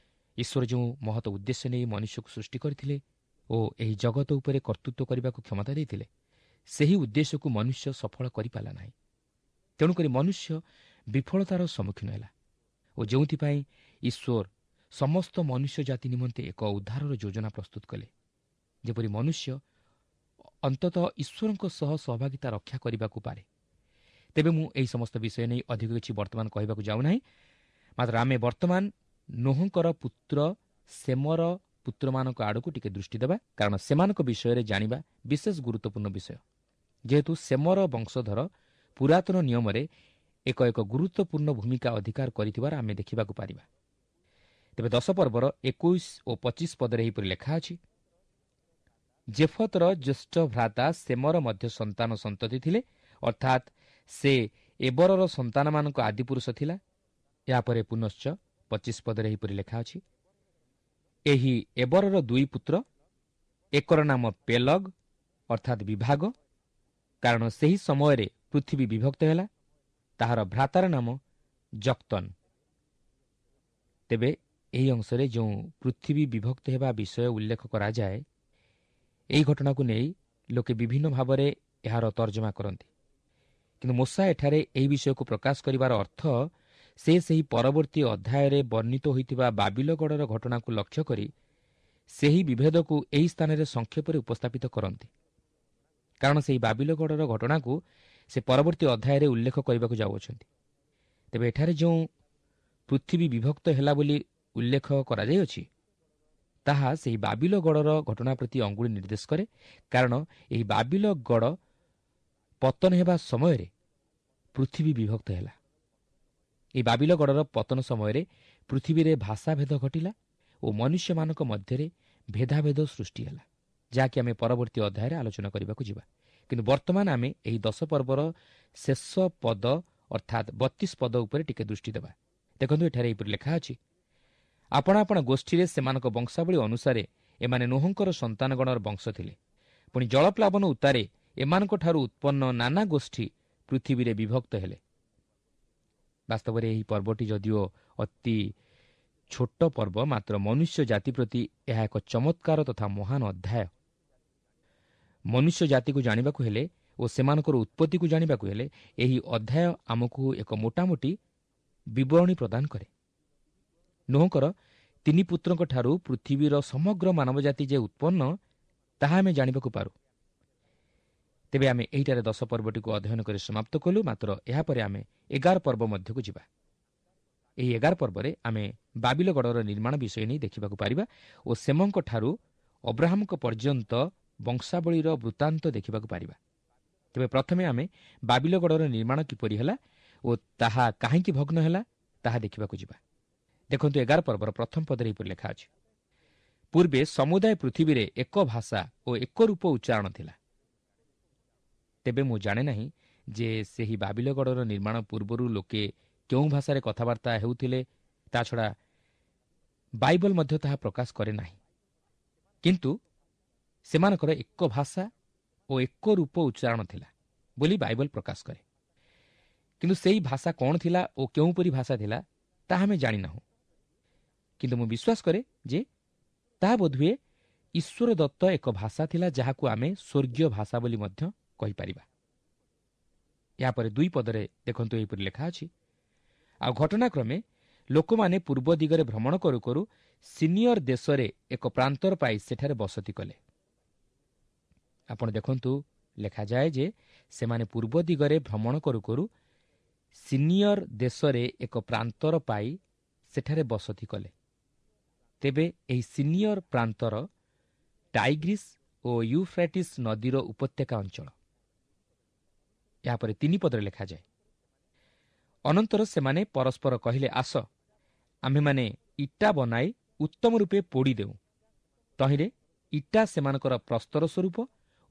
ଈଶ୍ୱର ଯେଉଁ ମହତ ଉଦ୍ଦେଶ୍ୟ ନେଇ ମନୁଷ୍ୟକୁ ସୃଷ୍ଟି କରିଥିଲେ ଓ ଏହି ଜଗତ ଉପରେ କର୍ତ୍ତୃତ୍ୱ କରିବାକୁ କ୍ଷମତା ଦେଇଥିଲେ, ସେହି ଉଦ୍ଦେଶ୍ୟକୁ ମନୁଷ୍ୟ ସଫଳ କରିପାରିଲା ନାହିଁ। ତେଣୁକରି ମନୁଷ୍ୟ ବିଫଳତାର ସମ୍ମୁଖୀନ ହେଲା ଓ ଯେଉଁଥିପାଇଁ ଈଶ୍ୱର ସମସ୍ତ ମନୁଷ୍ୟ ଜାତି ନିମନ୍ତେ ଏକ ଉଦ୍ଧାରର ଯୋଜନା ପ୍ରସ୍ତୁତ କଲେ, ଯେପରି ମନୁଷ୍ୟ ଅନ୍ତତଃ ଈଶ୍ୱରଙ୍କ ସହ ସହଭାଗିତା ରକ୍ଷା କରିବାକୁ ପାରେ। ତେବେ ମୁଁ ଏହି ସମସ୍ତ ବିଷୟ ନେଇ ଅଧିକ କିଛି ବର୍ତ୍ତମାନ କହିବାକୁ ଯାଉନାହିଁ। ମାତ୍ର ଆମେ ବର୍ତ୍ତମାନ ନୋହଙ୍କର ପୁତ୍ର ସେମର ପୁତ୍ରମାନଙ୍କ ଆଡ଼କୁ ଟିକେ ଦୃଷ୍ଟି ଦେବା, କାରଣ ସେମାନଙ୍କ ବିଷୟରେ ଜାଣିବା ବିଶେଷ ଗୁରୁତ୍ୱପୂର୍ଣ୍ଣ ବିଷୟ। ଯେହେତୁ ସେମର ବଂଶଧର ପୁରାତନ ନିୟମରେ ଏକ ଏକ ଗୁରୁତ୍ୱପୂର୍ଣ୍ଣ ଭୂମିକା ଅଧିକାର କରିଥିବାର ଆମେ ଦେଖିବାକୁ ପାରିବା। ତେବେ 10 ପର୍ବର 21 ଓ 25 ପଦରେ ଏହିପରି ଲେଖା ଅଛି, ଜେଫତର ଜ୍ୟେଷ୍ଠ ଭ୍ରାତା ସେମର ମଧ୍ୟ ସନ୍ତାନ ସନ୍ତତି ଥିଲେ, ଅର୍ଥାତ୍ ସେ ଏବରର ସନ୍ତାନମାନଙ୍କ ଆଦିପୁରୁଷ ଥିଲା। ଏହାପରେ ପୁନଶ୍ଚ 25 ପଦରେ ଏହିପରି ଲେଖା ଅଛି, ଏହି ଏବରର 2 ପୁତ୍ର, ଏକର ନାମ ପେଲଗ ଅର୍ଥାତ୍ ବିଭାଗ, କାରଣ ସେହି ସମୟରେ ପୃଥିବୀ ବିଭକ୍ତ ହେଲା, ତାହାର ଭ୍ରାତାର ନାମ ଜକ୍ତନ। ତେବେ ଏହି ଅଂଶରେ ଯେଉଁ ପୃଥିବୀ ବିଭକ୍ତ ହେବା ବିଷୟ ଉଲ୍ଲେଖ କରାଯାଏ, ଏହି ଘଟଣାକୁ ନେଇ ଲୋକେ ବିଭିନ୍ନ ଭାବରେ ଏହାର ତର୍ଜମା କରନ୍ତି। କିନ୍ତୁ ମୋଶା ଏଠାରେ ଏହି ବିଷୟକୁ ପ୍ରକାଶ କରିବାର ଅର୍ଥ ସେ ସେହି ପରବର୍ତ୍ତୀ ଅଧ୍ୟାୟରେ ବର୍ଣ୍ଣିତ ହୋଇଥିବା ବାବିଲଗଡ଼ର ଘଟଣାକୁ ଲକ୍ଷ୍ୟ କରି ସେହି ବିଭେଦକୁ ଏହି ସ୍ଥାନରେ ସଂକ୍ଷେପରେ ଉପସ୍ଥାପିତ କରନ୍ତି, କାରଣ ସେହି ବାବିଲଗଡ଼ର ଘଟଣାକୁ ସେ ପରବର୍ତ୍ତୀ ଅଧ୍ୟାୟରେ ଉଲ୍ଲେଖ କରିବାକୁ ଯାଉଅଛନ୍ତି। ତେବେ ଏଠାରେ ଯେଉଁ ପୃଥିବୀ ବିଭକ୍ତ ହେଲା ବୋଲି ଉଲ୍ଲେଖ କରାଯାଇଅଛି, ତାହା ସେହି ବାବିଲଗଡ଼ର ଘଟଣା ପ୍ରତି ଅଙ୍ଗୁଳି ନିର୍ଦ୍ଦେଶ କରେ, କାରଣ ଏହି ବାବିଲଗଡ଼ ପତନ ହେବା ସମୟରେ ପୃଥିବୀ ବିଭକ୍ତ ହେଲା। ଏହି ବାବିଲଗଡ଼ର ପତନ ସମୟରେ ପୃଥିବୀରେ ଭାଷାଭେଦ ଘଟିଲା ଓ ମନୁଷ୍ୟମାନଙ୍କ ମଧ୍ୟରେ ଭେଦାଭେଦ ସୃଷ୍ଟି ହେଲା, ଯାହାକି ଆମେ ପରବର୍ତ୍ତୀ ଅଧ୍ୟାୟରେ ଆଲୋଚନା କରିବାକୁ ଯିବା। କିନ୍ତୁ ବର୍ତ୍ତମାନ ଆମେ ଏହି 10 ପର୍ବର ଶେଷ ପଦ ଅର୍ଥାତ୍ 32 ପଦ ଉପରେ ଟିକେ ଦୃଷ୍ଟି ଦେବା। ଦେଖନ୍ତୁ ଏଠାରେ ଏହିପରି ଲେଖା ଅଛି, ଆପଣା ଆପଣା ଗୋଷ୍ଠୀରେ ସେମାନଙ୍କ ବଂଶାବଳୀ ଅନୁସାରେ ଏମାନେ ନୋହଙ୍କର ସନ୍ତାନଗଣର ବଂଶ ଥିଲେ। ପୁଣି ଜଳପ୍ଲାବନ ଉତ୍ତାରେ ଏମାନଙ୍କଠାରୁ ଉତ୍ପନ୍ନ ନାନା ଗୋଷ୍ଠୀ ପୃଥିବୀରେ ବିଭକ୍ତ ହେଲେ। ବାସ୍ତବରେ ଏହି ପର୍ବଟି ଯଦିଓ ଅତି ଛୋଟ ପର୍ବ, ମାତ୍ର ମନୁଷ୍ୟ ଜାତି ପ୍ରତି ଏହା ଏକ ଚମତ୍କାର ତଥା ମହାନ ଅଧ୍ୟାୟ। ମନୁଷ୍ୟ ଜାତିକୁ ଜାଣିବାକୁ ହେଲେ ଓ ସେମାନଙ୍କର ଉତ୍ପତ୍ତିକୁ ଜାଣିବାକୁ ହେଲେ ଏହି ଅଧ୍ୟାୟ ଆମକୁ ଏକ ମୋଟାମୋଟି ବିବରଣୀ ପ୍ରଦାନ କରେ। ନୋହଙ୍କର 3 ପୁତ୍ରଙ୍କଠାରୁ ପୃଥିବୀର ସମଗ୍ର ମାନବ ଜାତି ଯେ ଉତ୍ପନ୍ନ, ତାହା ଆମେ ଜାଣିବାକୁ ପାରୁ। ତେବେ ଆମେ ଏହିଠାରେ 10 ପର୍ବଟିକୁ ଅଧ୍ୟୟନ କରି ସମାପ୍ତ କଲୁ। ମାତ୍ର ଏହାପରେ ଆମେ 11 ପର୍ବ ମଧ୍ୟକୁ ଯିବା। ଏହି 11 ପର୍ବରେ ଆମେ ବାବିଲଗଡ଼ର ନିର୍ମାଣ ବିଷୟ ନେଇ ଦେଖିବାକୁ ପାରିବା ଓ ସେମଙ୍କଠାରୁ ଅବ୍ରାହମଙ୍କ ପର୍ଯ୍ୟନ୍ତ ବଂଶାବଳୀର ବୃତ୍ତାନ୍ତ ଦେଖିବାକୁ ପାରିବା। ତେବେ ପ୍ରଥମେ ଆମେ ବାବିଲଗଡ଼ର ନିର୍ମାଣ କିପରି ହେଲା ଓ ତାହା କାହିଁକି ଭଗ୍ନ ହେଲା ତାହା ଦେଖିବାକୁ ଯିବା। ଦେଖନ୍ତୁ 11 ପର୍ବର ପ୍ରଥମ ପଦରେ ଏହିପରି ଲେଖା ଅଛି, ପୂର୍ବେ ସମୁଦାୟ ପୃଥିବୀରେ ଏକ ଭାଷା ଓ ଏକ ରୂପ ଉଚ୍ଚାରଣ ଥିଲା। ତେବେ ମୁଁ ଜାଣେ ନାହିଁ ଯେ ସେହି ବାବିଲଗଡ଼ର ନିର୍ମାଣ ପୂର୍ବରୁ ଲୋକେ କେଉଁ ଭାଷାରେ କଥାବାର୍ତ୍ତା ହେଉଥିଲେ। ତା ଛଡ଼ା ବାଇବଲ ମଧ୍ୟ ତାହା ପ୍ରକାଶ କରେ ନାହିଁ। କିନ୍ତୁ ସେମାନଙ୍କର ଏକ ଭାଷା ଓ ଏକ ରୂପ ଉଚ୍ଚାରଣ ଥିଲା ବୋଲି ବାଇବଲ ପ୍ରକାଶ କରେ। କିନ୍ତୁ ସେହି ଭାଷା କ'ଣ ଥିଲା ଓ କେଉଁପରି ଭାଷା ଥିଲା ତାହା ଆମେ ଜାଣିନାହୁଁ। କିନ୍ତୁ ମୁଁ ବିଶ୍ୱାସ କରେ ଯେ ତାହା ବୋଧହୁଏ ଈଶ୍ୱର ଦତ୍ତ ଏକ ଭାଷା ଥିଲା, ଯାହାକୁ ଆମେ ସ୍ୱର୍ଗୀୟ ଭାଷା ବୋଲି ମଧ୍ୟ କହିପାରିବା। ଏହାପରେ 2 ପଦରେ ଦେଖନ୍ତୁ ଏହିପରି ଲେଖା ଅଛି, ଆଉ ଘଟଣାକ୍ରମେ ଲୋକମାନେ ପୂର୍ବ ଦିଗରେ ଭ୍ରମଣ କରୁ କରୁ ସିନିୟର ଦେଶରେ ଏକ ପ୍ରାନ୍ତର ପାଇ ସେଠାରେ ବସତି କଲେ। ଆପଣ ଦେଖନ୍ତୁ ଲେଖାଯାଏ ଯେ ସେମାନେ ପୂର୍ବ ଦିଗରେ ଭ୍ରମଣ କରୁ କରୁ ସିନିୟର ଦେଶରେ ଏକ ପ୍ରାନ୍ତର ପାଇ ସେଠାରେ ବସତି କଲେ। ତେବେ ଏହି ସିନିୟର ପ୍ରାନ୍ତର ଟାଇଗ୍ରିସ୍ ଓ ୟୁଫ୍ରାଟିସ୍ ନଦୀର ଉପତ୍ୟକା ଅଞ୍ଚଳ। ଏହାପରେ 3 ପଦରେ ଲେଖାଯାଏ, ଅନନ୍ତର ସେମାନେ ପରସ୍ପର କହିଲେ, ଆସ ଆମ୍ଭେମାନେ ଇଟା ବନାଇ ଉତ୍ତମ ରୂପେ ପୋଡ଼ି ଦେଉ। ତହିଁରେ ଇଟା ସେମାନଙ୍କର ପ୍ରସ୍ତର ସ୍ୱରୂପ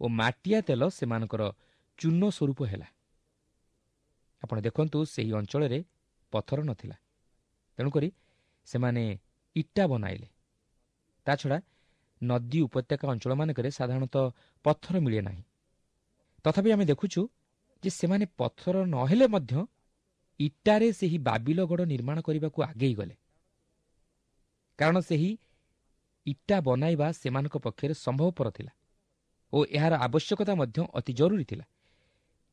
ଓ ମାଟିଆ ତେଲ ସେମାନଙ୍କର ଚୂନ ସ୍ୱରୂପ ହେଲା। ଆପଣ ଦେଖନ୍ତୁ ସେହି ଅଞ୍ଚଳରେ ପଥର ନଥିଲା, ତେଣୁକରି ସେମାନେ ଇଟା ବନାଇଲେ। ତାଛଡ଼ା ନଦୀ ଉପତ୍ୟକା ଅଞ୍ଚଳମାନଙ୍କରେ ସାଧାରଣତଃ ପଥର ମିଳେ ନାହିଁ। ତଥାପି ଆମେ ଦେଖୁଛୁ ଯେ ସେମାନେ ପଥର ନହେଲେ ମଧ୍ୟ ଇଟାରେ ସେହି ବାବିଲଗଡ଼ ନିର୍ମାଣ କରିବାକୁ ଆଗେଇ ଗଲେ, କାରଣ ସେହି ଇଟା ବନାଇବା ସେମାନଙ୍କ ପକ୍ଷରେ ସମ୍ଭବପର ଥିଲା ଓ ଏହାର ଆବଶ୍ୟକତା ମଧ୍ୟ ଅତି ଜରୁରୀ ଥିଲା।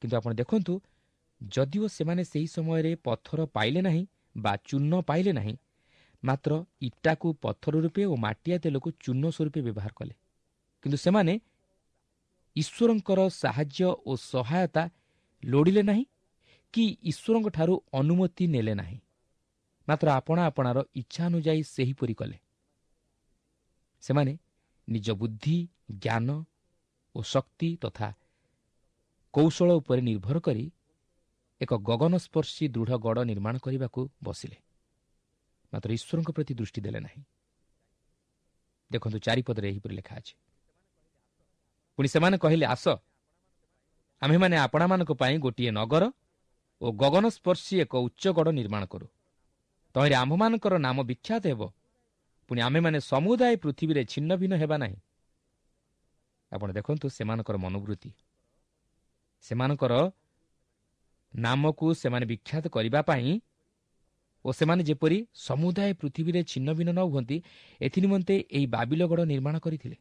କିନ୍ତୁ ଆପଣ ଦେଖନ୍ତୁ, ଯଦିଓ ସେମାନେ ସେହି ସମୟରେ ପଥର ପାଇଲେ ନାହିଁ ବା ଚୂନ ପାଇଲେ ନାହିଁ, ମାତ୍ର ଇଟାକୁ ପଥର ରୂପେ ଓ ମାଟିଆ ତେଲକୁ ଚୂନ ସ୍ୱରୂପେ ବ୍ୟବହାର କଲେ। କିନ୍ତୁ ସେମାନେ ଈଶ୍ୱରଙ୍କର ସାହାଯ୍ୟ ଓ ସହାୟତା ଲୋଡ଼ିଲେ ନାହିଁ କି ଈଶ୍ୱରଙ୍କଠାରୁ ଅନୁମତି ନେଲେ ନାହିଁ, ମାତ୍ର ଆପଣା ଆପଣାର ଇଚ୍ଛା ଅନୁଯାୟୀ ସେହିପରି କଲେ। ସେମାନେ ନିଜ ବୁଦ୍ଧି, ଜ୍ଞାନ ଓ ଶକ୍ତି ତଥା କୌଶଳ ଉପରେ ନିର୍ଭର କରି ଏକ ଗଗନସ୍ପର୍ଶୀ ଦୃଢ଼ ଗଡ଼ ନିର୍ମାଣ କରିବାକୁ ବସିଲେ, ମାତ୍ର ଈଶ୍ୱରଙ୍କ ପ୍ରତି ଦୃଷ୍ଟି ଦେଲେ ନାହିଁ। ଦେଖନ୍ତୁ 4 ପଦରେ ଏହିପରି ଲେଖା ଅଛି, ପୁଣି ସେମାନେ କହିଲେ, ଆସ ଆମ୍ଭେମାନେ ଆପଣାମାନଙ୍କ ପାଇଁ ଗୋଟିଏ ନଗର ଓ ଗଗନସ୍ପର୍ଶୀ ଏକ ଉଚ୍ଚ ଗଡ଼ ନିର୍ମାଣ କରୁ, ତହିଁରେ ଆମ୍ଭମାନଙ୍କର ନାମ ବିଖ୍ୟାତ ହେବ, ପୁଣି ଆମ୍ଭେମାନେ ସମୁଦାୟ ପୃଥିବୀରେ ଛିନ୍ନ ଭିନ୍ନ ହେବା ନାହିଁ। ଆପଣ ଦେଖନ୍ତୁ ସେମାନଙ୍କର ମନୋବୃତ୍ତି, ସେମାନଙ୍କର ନାମକୁ ସେମାନେ ବିଖ୍ୟାତ କରିବା ପାଇଁ ଓ ସେମାନେ ଯେପରି ସମୁଦାୟ ପୃଥିବୀରେ ଛିନ୍ନ ଭିନ୍ନ ନ ହୁଅନ୍ତି ଏଥିନିମନ୍ତେ ଏହି ବାବିଲଗଡ଼ ନିର୍ମାଣ କରିଥିଲେ।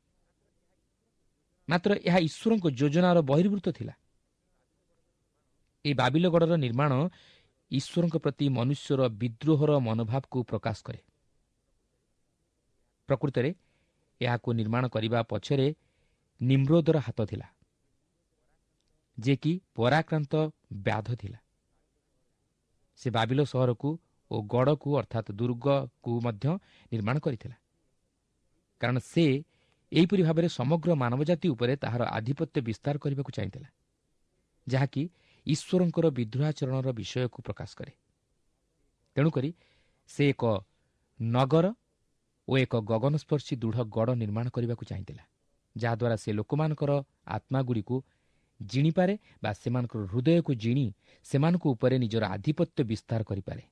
ମାତ୍ର ଏହା ଈଶ୍ୱରଙ୍କ ଯୋଜନାର ବହିର୍ଭୂତ ଥିଲା। ଏହି ବାବିଲଗଡ଼ର ନିର୍ମାଣ ଈଶ୍ୱରଙ୍କ ପ୍ରତି ମନୁଷ୍ୟର ବିଦ୍ରୋହର ମନୋଭାବକୁ ପ୍ରକାଶ କରେ। ପ୍ରକୃତରେ ଏହାକୁ ନିର୍ମାଣ କରିବା ପଛରେ ନିମ୍ରୋଦର ହାତ ଥିଲା, ଯିଏକି ପରାକ୍ରାନ୍ତ ବ୍ୟାଧ ଥିଲା। ସେ ବାବିଲ ସହରକୁ ଓ ଗଡ଼କୁ ଅର୍ଥାତ୍ ଦୁର୍ଗକୁ ମଧ୍ୟ ନିର୍ମାଣ କରିଥିଲା, କାରଣ ସେ ଏହିପରି ଭାବରେ ସମଗ୍ର ମାନବ ଜାତି ଉପରେ ତାହାର ଆଧିପତ୍ୟ ବିସ୍ତାର କରିବାକୁ ଚାହିଁଥିଲା, ଯାହାକି ଈଶ୍ୱରଙ୍କର ବିଦ୍ରୋହାଚରଣର ବିଷୟକୁ ପ୍ରକାଶ କରେ। ତେଣୁକରି ସେ ଏକ ନଗର ଓ ଏକ ଗଗନସ୍ପର୍ଶୀ ଦୃଢ଼ ଗଡ଼ ନିର୍ମାଣ କରିବାକୁ ଚାହିଁଥିଲା, ଯାହାଦ୍ୱାରା ସେ ଲୋକମାନଙ୍କର ଆତ୍ମାଗୁଡ଼ିକୁ ଜିଣିପାରେ ବା ସେମାନଙ୍କର ହୃଦୟକୁ ଜିଣି ସେମାନଙ୍କ ଉପରେ ନିଜର ଆଧିପତ୍ୟ ବିସ୍ତାର କରିପାରେ।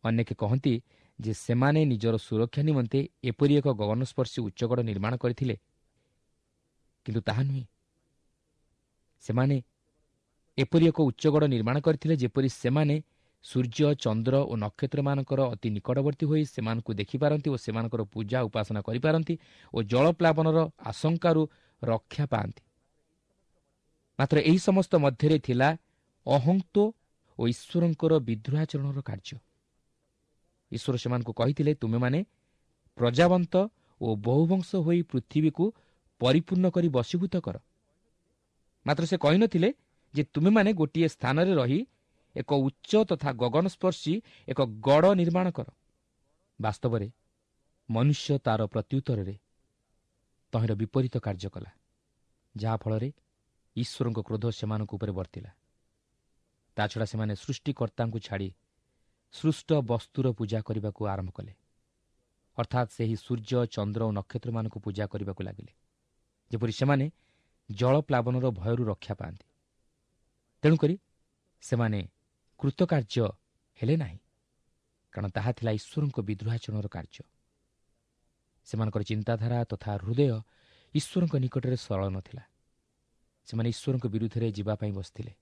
ଅନେକେ କହନ୍ତି ଯେ ସେମାନେ ନିଜର ସୁରକ୍ଷା ନିମନ୍ତେ ଏପରି ଏକ ଗଗନସ୍ପର୍ଶୀ ଉଚ୍ଚଗଡ଼ ନିର୍ମାଣ କରିଥିଲେ, କିନ୍ତୁ ତାହା ନୁହେଁ। ସେମାନେ ଏପରି ଏକ ଉଚ୍ଚଗଡ଼ ନିର୍ମାଣ କରିଥିଲେ ଯେପରି ସେମାନେ ସୂର୍ଯ୍ୟ, ଚନ୍ଦ୍ର ଓ ନକ୍ଷତ୍ରମାନଙ୍କର ଅତି ନିକଟବର୍ତ୍ତୀ ହୋଇ ସେମାନଙ୍କୁ ଦେଖିପାରନ୍ତି ଓ ସେମାନଙ୍କର ପୂଜା ଉପାସନା କରିପାରନ୍ତି ଓ ଜଳପ୍ଲାବନର ଆଶଙ୍କାରୁ ରକ୍ଷା ପାଆନ୍ତି। ମାତ୍ର ଏହି ସମସ୍ତ ମଧ୍ୟରେ ଥିଲା ଅହଂତ୍ୱ ଓ ଈଶ୍ୱରଙ୍କର ବିଦ୍ରୋହାଚରଣର କାର୍ଯ୍ୟ। ଈଶ୍ୱର ସେମାନଙ୍କୁ କହିଥିଲେ, ତୁମେମାନେ ପ୍ରଜାବନ୍ତ ଓ ବହୁବଂଶ ହୋଇ ପୃଥିବୀକୁ ପରିପୂର୍ଣ୍ଣ କରି ବଶୀଭୂତ କର। ମାତ୍ର ସେ କହିନଥିଲେ ଯେ ତୁମେମାନେ ଗୋଟିଏ ସ୍ଥାନରେ ରହି ଏକ ଉଚ୍ଚ ତଥା ଗଗନସ୍ପର୍ଶୀ ଏକ ଗଡ଼ ନିର୍ମାଣ କର। ବାସ୍ତବରେ ମନୁଷ୍ୟ ତାର ପ୍ରତ୍ୟୁତ୍ତରରେ ତହିଁର ବିପରୀତ କାର୍ଯ୍ୟ କଲା, ଯାହାଫଳରେ ଈଶ୍ୱରଙ୍କ କ୍ରୋଧ ସେମାନଙ୍କ ଉପରେ ବର୍ତ୍ତିଲା। ତାଛଡ଼ା ସେମାନେ ସୃଷ୍ଟିକର୍ତ୍ତାଙ୍କୁ ଛାଡ଼ି ସୃଷ୍ଟ ବସ୍ତୁର ପୂଜା କରିବାକୁ ଆରମ୍ଭ କଲେ, ଅର୍ଥାତ୍ ସେହି ସୂର୍ଯ୍ୟ, ଚନ୍ଦ୍ର ଓ ନକ୍ଷତ୍ରମାନଙ୍କୁ ପୂଜା କରିବାକୁ ଲାଗିଲେ, ଯେପରି ସେମାନେ ଜଳପ୍ଲାବନର ଭୟରୁ ରକ୍ଷା ପାଆନ୍ତି। ତେଣୁକରି ସେମାନେ କୃତକାର୍ଯ୍ୟ ହେଲେ ନାହିଁ, କାରଣ ତାହା ଥିଲା ଈଶ୍ୱରଙ୍କ ବିଦ୍ରୋହାଚରଣର କାର୍ଯ୍ୟ। ସେମାନଙ୍କର ଚିନ୍ତାଧାରା ତଥା ହୃଦୟ ଈଶ୍ୱରଙ୍କ ନିକଟରେ ସରଳ ନଥିଲା। ସେମାନେ ଈଶ୍ୱରଙ୍କ ବିରୁଦ୍ଧରେ ଯିବା ପାଇଁ ବସିଥିଲେ।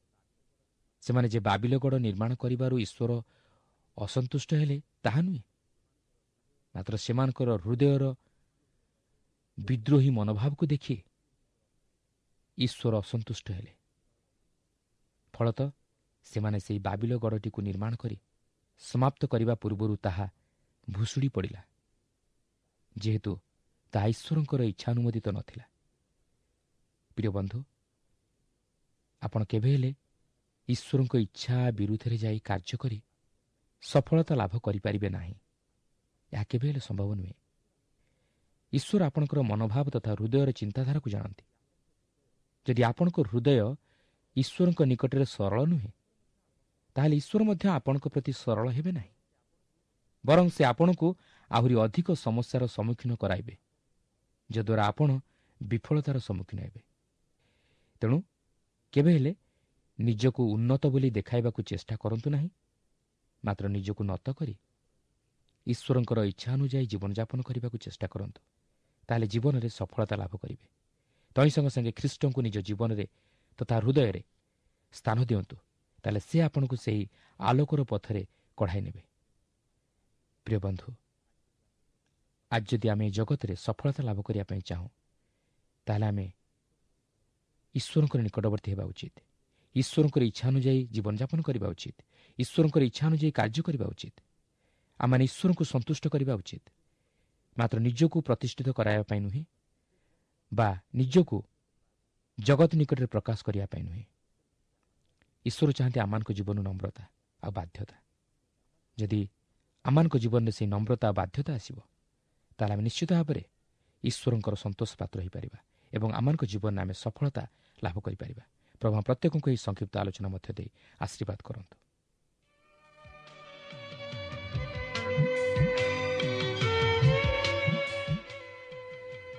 ସେମାନେ ଯେ ବାବିଲଗଡ଼ ନିର୍ମାଣ କରିବାରୁ ଈଶ୍ୱର ଅସନ୍ତୁଷ୍ଟ ହେଲେ ତାହା ନୁହେଁ, ମାତ୍ର ସେମାନଙ୍କର ହୃଦୟର ବିଦ୍ରୋହୀ ମନୋଭାବକୁ ଦେଖି ଈଶ୍ୱର ଅସନ୍ତୁଷ୍ଟ ହେଲେ। ଫଳତଃ ସେମାନେ ସେହି ବାବିଲଗଡ଼ଟିକୁ ନିର୍ମାଣ କରି ସମାପ୍ତ କରିବା ପୂର୍ବରୁ ତାହା ଭୁଷୁଡ଼ି ପଡ଼ିଲା, ଯେହେତୁ ତାହା ଈଶ୍ୱରଙ୍କର ଇଚ୍ଛାନୁମୋଦିତ ନଥିଲା। ପ୍ରିୟ ବନ୍ଧୁ, ଆପଣ କେବେ ହେଲେ ଈଶ୍ୱରଙ୍କ ଇଚ୍ଛା ବିରୁଦ୍ଧରେ ଯାଇ କାର୍ଯ୍ୟ କରି ସଫଳତା ଲାଭ କରିପାରିବେ ନାହିଁ। ଏହା କେବେ ହେଲେ ସମ୍ଭବ ନୁହେଁ। ଈଶ୍ୱର ଆପଣଙ୍କର ମନୋଭାବ ତଥା ହୃଦୟର ଚିନ୍ତାଧାରାକୁ ଜାଣନ୍ତି। ଯଦି ଆପଣଙ୍କ ହୃଦୟ ଈଶ୍ୱରଙ୍କ ନିକଟରେ ସରଳ ନୁହେଁ, ତାହେଲେ ଈଶ୍ୱର ମଧ୍ୟ ଆପଣଙ୍କ ପ୍ରତି ସରଳ ହେବେ ନାହିଁ, ବରଂ ସେ ଆପଣଙ୍କୁ ଆହୁରି ଅଧିକ ସମସ୍ୟାର ସମ୍ମୁଖୀନ କରାଇବେ, ଯଦ୍ୱାରା ଆପଣ ବିଫଳତାର ସମ୍ମୁଖୀନ ହେବେ। ତେଣୁ କେବେ ହେଲେ ନିଜକୁ ଉନ୍ନତ ବୋଲି ଦେଖାଇବାକୁ ଚେଷ୍ଟା କରନ୍ତୁ ନାହିଁ, ମାତ୍ର ନିଜକୁ ନତ କରି ଈଶ୍ୱରଙ୍କର ଇଚ୍ଛା ଅନୁଯାୟୀ ଜୀବନଯାପନ କରିବାକୁ ଚେଷ୍ଟା କରନ୍ତୁ। ତାହେଲେ ଜୀବନରେ ସଫଳତା ଲାଭ କରିବେ। ତହିଁ ସଙ୍ଗେ ସଙ୍ଗେ ଖ୍ରୀଷ୍ଟଙ୍କୁ ନିଜ ଜୀବନରେ ତଥା ହୃଦୟରେ ସ୍ଥାନ ଦିଅନ୍ତୁ, ତାହେଲେ ସେ ଆପଣଙ୍କୁ ସେହି ଆଲୋକର ପଥରେ କଢ଼ାଇ ନେବେ। ପ୍ରିୟ ବନ୍ଧୁ, ଆଜି ଯଦି ଆମେ ଜଗତରେ ସଫଳତା ଲାଭ କରିବା ପାଇଁ ଚାହୁଁ, ତାହେଲେ ଆମେ ଈଶ୍ୱରଙ୍କର ନିକଟବର୍ତ୍ତୀ ହେବା ଉଚିତ। ଈଶ୍ୱରଙ୍କର ଇଚ୍ଛା ଅନୁଯାୟୀ ଜୀବନଯାପନ କରିବା ଉଚିତ। ଈଶ୍ୱରଙ୍କର ଇଚ୍ଛା ଅନୁଯାୟୀ କାର୍ଯ୍ୟ କରିବା ଉଚିତ। ଆମମାନେ ଈଶ୍ୱରଙ୍କୁ ସନ୍ତୁଷ୍ଟ କରିବା ଉଚିତ, ମାତ୍ର ନିଜକୁ ପ୍ରତିଷ୍ଠିତ କରାଇବା ପାଇଁ ନୁହେଁ ବା ନିଜକୁ ଜଗତ ନିକଟରେ ପ୍ରକାଶ କରିବା ପାଇଁ ନୁହେଁ। ଈଶ୍ୱର ଚାହାନ୍ତି ଆମମାନଙ୍କ ଜୀବନ ନମ୍ରତା ଆଉ ବାଧ୍ୟତା। ଯଦି ଆମମାନଙ୍କ ଜୀବନରେ ସେହି ନମ୍ରତା ଆଉ ବାଧ୍ୟତା ଆସିବ, ତାହେଲେ ଆମେ ନିଶ୍ଚିତ ଭାବରେ ଈଶ୍ୱରଙ୍କର ସନ୍ତୋଷ ପାତ୍ର ହୋଇପାରିବା ଏବଂ ଆମମାନଙ୍କ ଜୀବନରେ ଆମେ ସଫଳତା ଲାଭ କରିପାରିବା। ପ୍ରଭୁ ପ୍ରତ୍ୟେକଙ୍କୁ ଏହି ସଂକ୍ଷିପ୍ତ ଆଲୋଚନା ମଧ୍ୟ ଦେଇ ଆଶୀର୍ବାଦ କରନ୍ତୁ।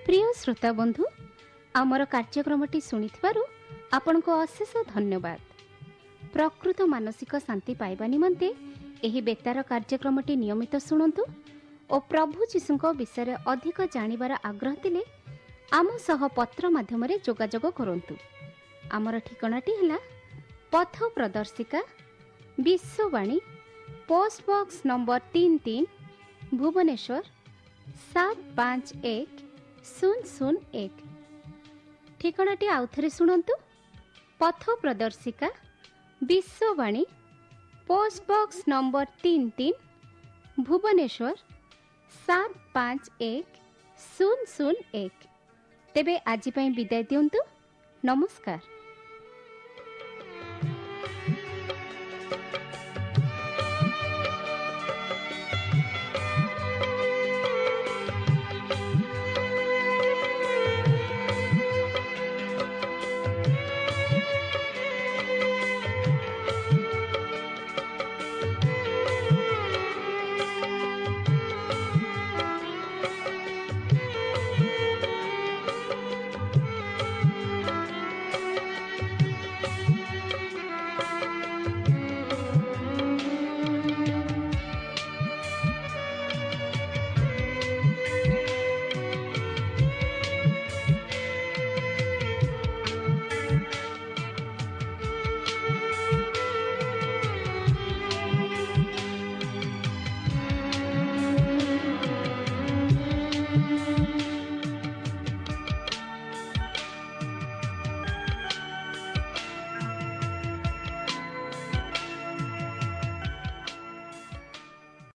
ପ୍ରିୟ ଶ୍ରୋତା ବନ୍ଧୁ, ଆମର କାର୍ଯ୍ୟକ୍ରମଟି ଶୁଣିଥିବାରୁ ଆପଣଙ୍କୁ ଅଶେଷ ଧନ୍ୟବାଦ। ପ୍ରକୃତ ମାନସିକ ଶାନ୍ତି ପାଇବା ନିମନ୍ତେ ଏହି ବେତାର କାର୍ଯ୍ୟକ୍ରମଟି ନିୟମିତ ଶୁଣନ୍ତୁ ଓ ପ୍ରଭୁ ଯୀଶୁଙ୍କ ବିଷୟରେ ଅଧିକ ଜାଣିବାର ଆଗ୍ରହ ଥିଲେ ଆମ ସହ ପତ୍ର ମାଧ୍ୟମରେ ଯୋଗାଯୋଗ କରନ୍ତୁ। ଆମର ଠିକଣାଟି ହେଲା ପଥ ପ୍ରଦର୍ଶିକା, Vishwavani, post box number 33, Bhubaneswar 751001। ଠିକଣାଟି ଆଉଥରେ ଶୁଣନ୍ତୁ, ପଥ ପ୍ରଦର୍ଶିକା, Vishwavani, post box number 33, Bhubaneswar 751001। ତେବେ ଆଜି ପାଇଁ ବିଦାୟ ଦିଅନ୍ତୁ। ନମସ୍କାର।